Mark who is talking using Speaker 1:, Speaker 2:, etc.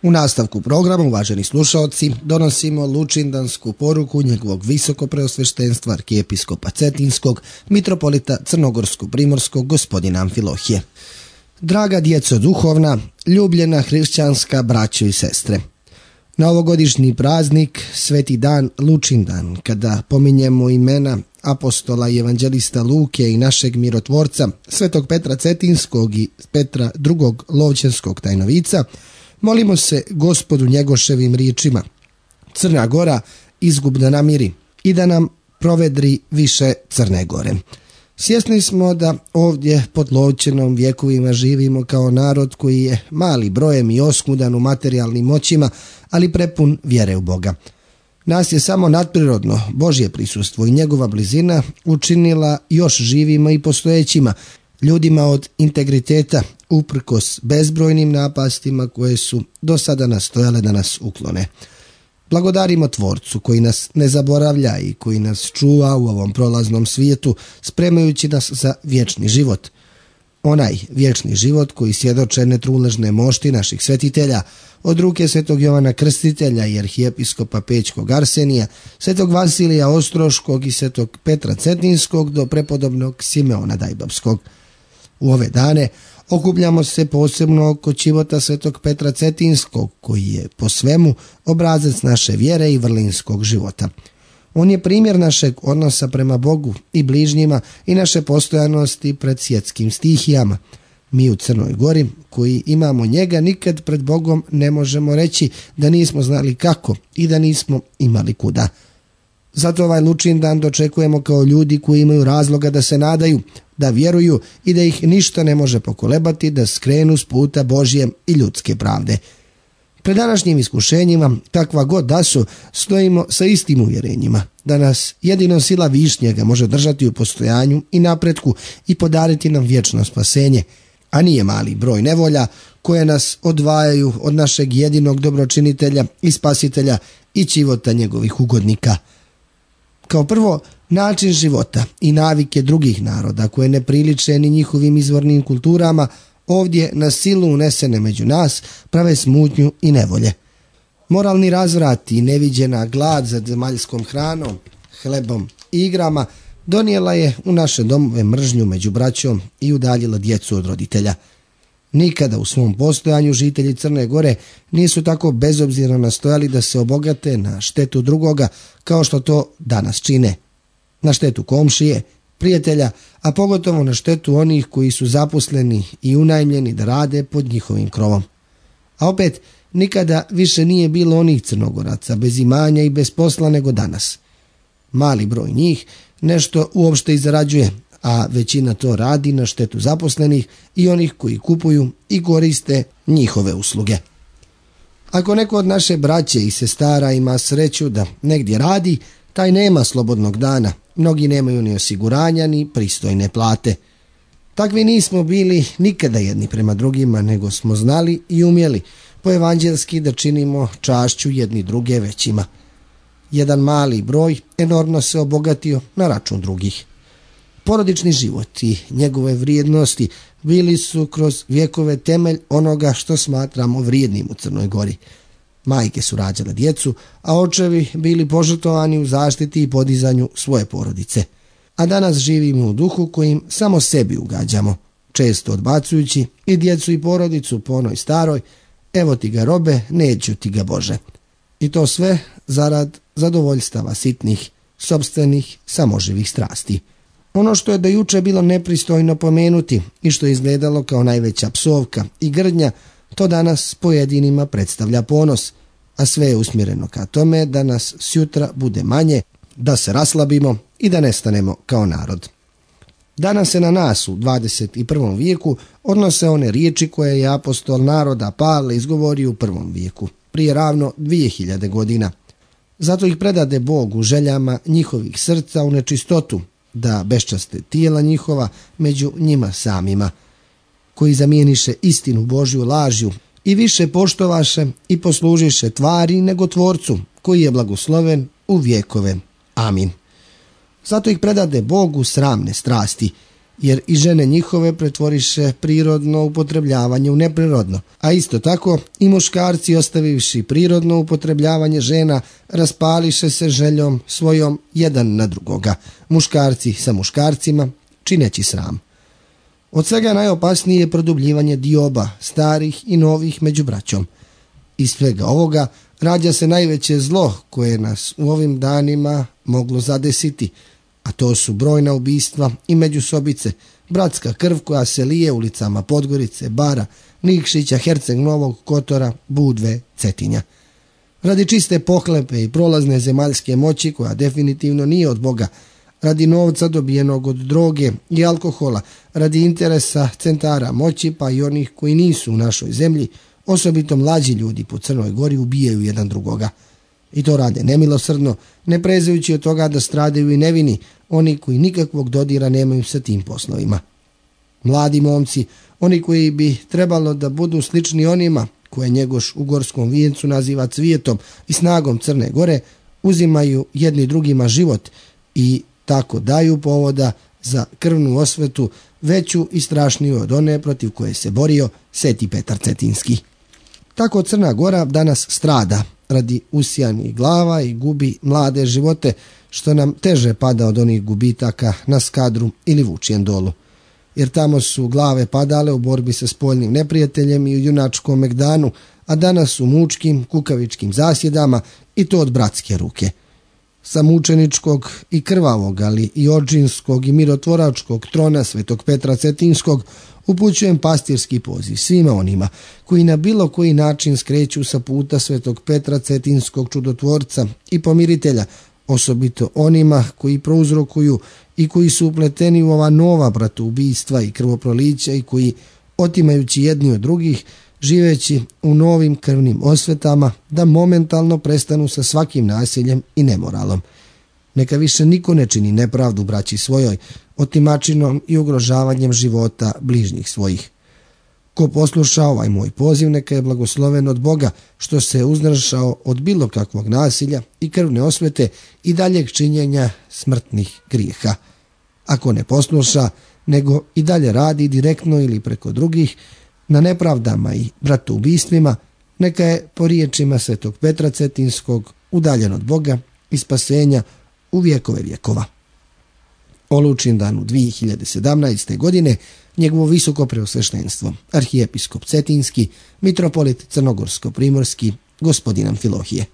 Speaker 1: U nastavku programa, uvaženi slušaoci, donosimo lučindansku poruku njegovog visokopreosveštenstva arkijepiskopa Cetinskog, mitropolita Crnogorsko-primorskog gospodina Amfilohije. Draga djeco duhovna, ljubljena hrišćanska braćo i sestre, na ovogodišnji praznik, sveti dan Lučindan, kada pominjemo imena apostola i evanđelista Luke i našeg mirotvorca, svetog Petra Cetinskog i Petra II. Lovćenskog tajnovica, molimo se Gospodu Njegoševim riječima: Crna Gora izgub da namiri i da nam provedri više Crne Gore. Svjesni smo da ovdje pod Lovćenom vjekovima živimo kao narod koji je mali brojem i oskudan u materijalnim moćima, ali prepun vjere u Boga. Nas je samo nadprirodno Božje prisustvo i njegova blizina učinila još živima i postojećima, ljudima od integriteta, uprkos bezbrojnim napastima koje su do sada nastojale da nas uklone. Blagodarimo Tvorcu koji nas ne zaboravlja i koji nas čuva u ovom prolaznom svijetu, spremajući nas za vječni život. Onaj vječni život koji svjedoče netruležne mošti naših svetitelja, od ruke svetog Jovana Krstitelja i arhijepiskopa Pećkog Arsenija, svetog Vasilija Ostroškog i svetog Petra Cetinskog do prepodobnog Simeona Dajbapskog. U ove dane okupljamo se posebno oko čivota svetog Petra Cetinskog, koji je po svemu obrazac naše vjere i vrlinskog života. On je primjer našeg odnosa prema Bogu i bližnjima i naše postojanosti pred svjetskim stihijama. Mi u Crnoj Gori, koji imamo njega, nikad pred Bogom ne možemo reći da nismo znali kako i da nismo imali kuda. Zato ovaj Lučindan dočekujemo kao ljudi koji imaju razloga da se nadaju, da vjeruju i da ih ništa ne može pokolebati da skrenu s puta Božje i ljudske pravde. Pred današnjim iskušenjima, kakva god da su, stojimo sa istim uvjerenjima, da nas jedino sila Višnjega može držati u postojanju i napretku i podariti nam vječno spasenje, a nije mali broj nevolja koje nas odvajaju od našeg jedinog dobročinitelja i spasitelja i čivota njegovih ugodnika. Kao prvo, način života i navike drugih naroda koje ne priliče ni njihovim izvornim kulturama, ovdje na silu unesene među nas prave smutnju i nevolje. Moralni razvrat i neviđena glad za zemaljskom hranom, hlebom i igrama donijela je u naše domove mržnju među braćom i udaljila djecu od roditelja. Nikada u svom postojanju žitelji Crne Gore nisu tako bezobzirno nastojali da se obogate na štetu drugoga kao što to danas čine. Na štetu komšije, prijatelja, a pogotovo na štetu onih koji su zaposleni i unajmljeni da rade pod njihovim krovom. A opet, nikada više nije bilo onih Crnogoraca bez imanja i bez posla nego danas. Mali broj njih nešto uopšte i zarađuje, a većina to radi na štetu zaposlenih i onih koji kupuju i koriste njihove usluge. Ako neko od naše braće i sestara ima sreću da negdje radi, taj nema slobodnog dana. Mnogi nemaju ni osiguranja ni pristojne plate. Takvi nismo bili nikada jedni prema drugima, nego smo znali i umjeli po evanđelski da činimo čašću jedni druge većima. Jedan mali broj enormno se obogatio na račun drugih. Porodični život i njegove vrijednosti bili su kroz vjekove temelj onoga što smatramo vrijednim u Crnoj Gori. Majke su rađale djecu, a očevi bili požrtvovani u zaštiti i podizanju svoje porodice. A danas živimo u duhu kojim samo sebi ugađamo, često odbacujući i djecu i porodicu po onoj staroj: evo ti ga robe, neću ti ga Bože. I to sve zarad zadovoljstava sitnih, sopstvenih, samoživih strasti. Ono što je do juče bilo nepristojno pomenuti i što je izgledalo kao najveća psovka i grdnja, to danas pojedinima predstavlja ponos, a sve je usmjereno ka tome da nas sjutra bude manje, da se raslabimo i da nestanemo kao narod. Danas se na nas u 21. vijeku odnose one riječi koje je apostol naroda Pavle izgovorio u 1. vijeku, prije ravno 2000 godina. Zato ih predade Bog u željama njihovih srca u nečistotu, da beščaste tijela njihova među njima samima, koji zamijeniše istinu Božju lažju i više poštovaše i poslužiše tvari nego Tvorcu, koji je blagosloven u vjekove. Amin. Zato ih predade Bogu sramne strasti, jer i žene njihove pretvoriše prirodno upotrebljavanje u neprirodno, a isto tako i muškarci ostavivši prirodno upotrebljavanje žena raspališe se željom svojom jedan na drugoga, muškarci sa muškarcima, čineći sram. Od svega najopasnije je produbljivanje dioba, starih i novih među braćom. Iz svega ovoga rađa se najveće zlo koje nas u ovim danima moglo zadesiti, a to su brojna ubistva i međusobice, bratska krv koja se lije ulicama Podgorice, Bara, Nikšića, Herceg Novog, Kotora, Budve, Cetinja. Radi čiste pohlepe i prolazne zemaljske moći koja definitivno nije od Boga, radi novca dobijenog od droge i alkohola, radi interesa centara moći pa i onih koji nisu u našoj zemlji, osobito mlađi ljudi po Crnoj Gori ubijaju jedan drugoga. I to rade nemilosrdno, ne prezajući od toga da stradaju i nevini, oni koji nikakvog dodira nemaju sa tim poslovima. Mladi momci, oni koji bi trebalo da budu slični onima koje Njegoš u Gorskom vijencu naziva cvijetom i snagom Crne Gore, uzimaju jedni drugima život i tako daju povoda za krvnu osvetu veću i strašniju od one protiv koje se borio Sveti Petar Cetinski. Tako Crna Gora danas strada radi usijanih glava i gubi mlade živote, što nam teže pada od onih gubitaka na Skadru ili Vučijem Dolu. Jer tamo su glave padale u borbi sa spoljnim neprijateljem i u junačkom Megdanu, a danas u mučkim, kukavičkim zasjedama i to od bratske ruke. Sa mučeničkog i krvavog, ali i ođinskog i mirotvoračkog trona Svetog Petra Cetinskog upućujem pastirski poziv svima onima koji na bilo koji način skreću sa puta Svetog Petra Cetinskog čudotvorca i pomiritelja, osobito onima koji prouzrokuju i koji su upleteni u ova nova bratoubistva i krvoprolića i koji, otimajući jedni od drugih, živeći u novim krvnim osvetama, da momentalno prestanu sa svakim nasiljem i nemoralom. Neka više niko ne čini nepravdu braći svojoj, otimačinom i ugrožavanjem života bližnjih svojih. Ko posluša ovaj moj poziv, neka je blagosloven od Boga, što se uzdržao od bilo kakvog nasilja i krvne osvete i daljeg činjenja smrtnih grijeha. Ako ne posluša, nego i dalje radi direktno ili preko drugih na nepravdama i bratoubistvima, neka je po riječima Svetog Petra Cetinskog udaljen od Boga i spasenja u vjekove vjekova. O Lučindanu 2017. godine njegovo visoko preosveštenstvo, arhijepiskop Cetinski, mitropolit Crnogorsko-primorski, gospodin Amfilohije.